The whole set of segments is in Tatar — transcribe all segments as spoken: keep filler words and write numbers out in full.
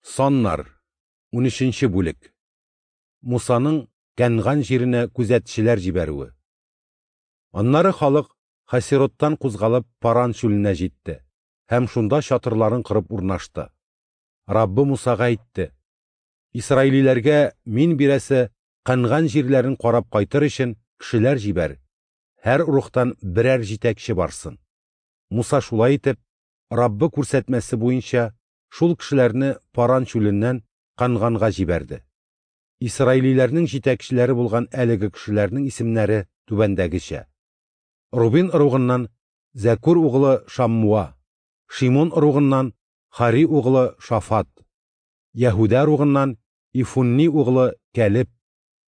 Саннар, унөченче бүлек. Мусаның Кәнган җиренә күзәтчеләр җибәрүе. Аннары халык Хасероттан кузгалып Паран чүленә җитте һәм шунда чатырларын корып урнашты. Раббы Мусага әйтте: Исраилиләргә мин бирәсе Кәнган җирләрен карап кайтыр өчен кешеләр җибәр, һәр ыругтан берәр җитәкче барсын. Муса шулай итеп, Раббы күрсәтмәсе буенча шул кешеләрне Паран чүленнән Кәнганга җибәрде. Исраилиләрнең җитәкчеләре булган әлеге кешеләрнең исемнәре түбәндәгечә: Рубин ыругыннан Зәкур углы Шаммуа, Шимон ыругыннан Хари углы Шафат, Яһүдә ыругыннан Ифунни углы Кәлеб,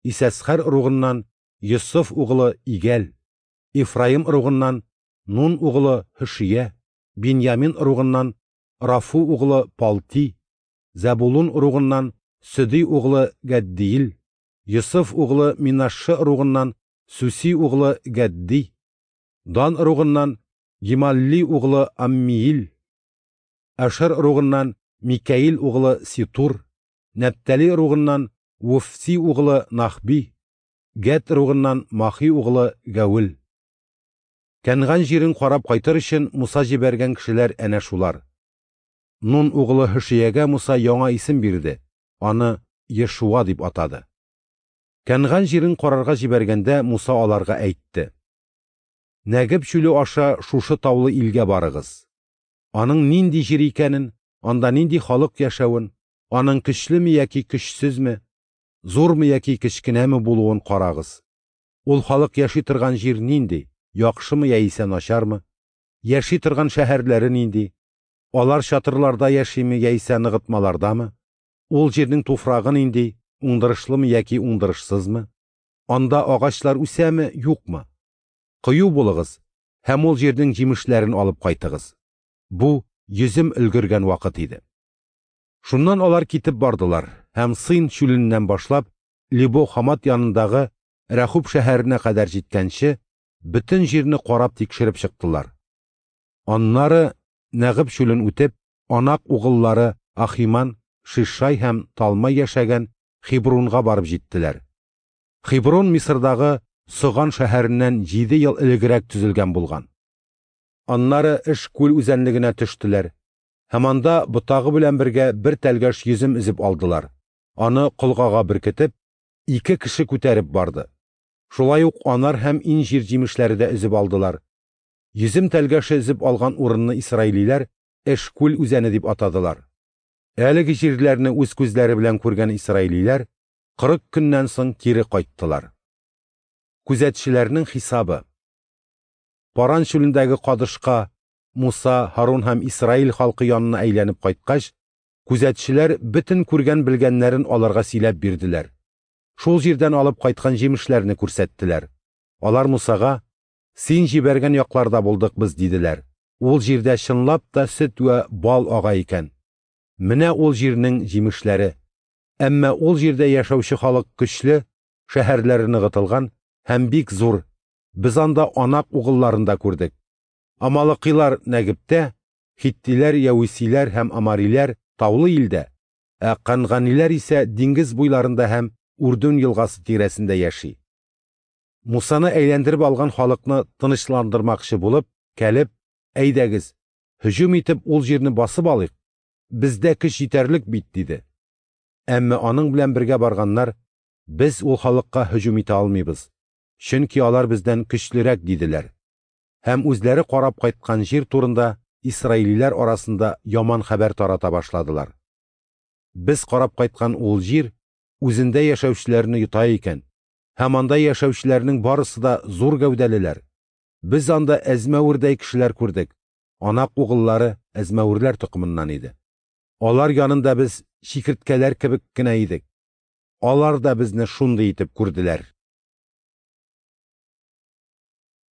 Исәсхәр ыругыннан Йосыф углы Игәл, Ифраим ыругыннан Нун углы Һөшия, Биньямин ыругыннан Рафу углы Палти, Зәбулун ыругыннан Сөди углы Гәддиил, Йосыф углы Минашшы ыругыннан Сүси углы Гәдди, Дан ыругыннан Гималли углы Аммиил, Ашер ыругыннан Микаил углы Ситур, Нәптали ыругыннан Вуфси углы Нахби, Гәт ыругыннан Махи углы Гәүел. Кәнган җирен карап кайтыр өчен Муса җибәргән кешеләр әнә шулар. Нун углы Һөшиягә Муса яңа исем бирде, аны Ешуа дип атады. Кәнган җирен карарга җибәргәндә Муса аларга әйтте: Нәгеб чүле аша шушы таулы илгә барыгыз. Аның нинди җир икәнен, анда нинди халык яшәвен, аның көчлеме яки көчсезме, зурмы яки кечкенәме булуын карагыз. Ул халык яши торган җир нинди, яхшымы яисә начармы, яши торган шәһәрләре нинди, алар чатырларда яшиме яисә ныгытмалардамы, ул җирнең туфрагы нинди, уңдырышлымы яки уңдырышсызмы, анда агачлар үсәме, юкмы. Кыю булыгыз һәм ул җирнең җимешләрен алып кайтыгыз. Бу йөзем өлгергән вакыт иде. Шуннан алар китеп бардылар һәм Син чүленнән башлап Либо Хамат янындагы Рәхуб шәһәренә кадәр җиткәнче бөтен җирне карап тикшереп чыктылар. Аннары Нәгыб чүлен үтеп, Анак угыллары Ахиман, Шишай һәм Талмай яшәгән Хибрунга барып җиттеләр. Хибрун Мисырдагы Соган шәһәреннән җиде ел элегрәк төзелгән булган. Аннары Эшкүл үзәнлегенә төштеләр һәм анда ботагы белән бергә бер тәлгәш йөзем өзеп алдылар. Аны колгага беркетеп, ике кеше күтәреп барды. Шулай ук анар һәм инҗир җимешләре дә өзеп алдылар. Йөзем тәлгәше өзеп алган урынны исраилиләр Эшкүл үзәне дип атадылар. Әлеге җирләрне үз күзләре белән күргән исраилиләр кырык көннән соң кире кайттылар. Күзәтчеләрнең хисабы. Паран чүлендәге Кадышка Муса, Һарун һәм Исраил халкы янына әйләнеп кайткач, күзәтчеләр бөтен күргән белгәннәрен аларга сөйләп бирделәр. Шул җирдән алып кайткан җимешләрне күрсәттеләр. Алар Мусага: "Син җибәргән якларда булдык без", диделәр. Ул җирдә чынлап та сөт вә бал ага икән. Менә ул җирнең җимешләре. Әмма ул җирдә яшәүче халык көчле, шәһәрләре ныгытылган һәм бик зур. Без анда Анак угылларын да күрдек. Амалыкилар Нәгебтә, хиттиләр, яүисиләр һәм амариләр таулы илдә, ә канганиләр исә диңгез буйларында һәм Үрдүн елгасы тирәсендә яши. Мусаны әйләндереп алган халыкны тынычландырмакчы булып, Кәлеб: "Әйдәгез, һөҗүм итеп ул җирне басып алыйк, бездә көч җитәрлек бит", диде. Әмма аның белән бергә барганнар: "Без ул халыкка һөҗүм итә алмыйбыз, чөнки алар бездән көчлерәк", диделәр. Һәм үзләре карап кайткан җир турында исраилиләр арасында яман хәбәр тарата башладылар. Без карап кайткан ул җир үзендә яшәүчеләрне йота икән, һәм анда яшәүчеләрнең барысы да зур гәүдәлеләр. Без анда әзмәвердәй кешеләр күрдек. Анак угыллары әзмәверләр токымыннан иде. Алар янында без чикерткәләр кебек кенә идек. Алар да безне шундый итеп күрделәр.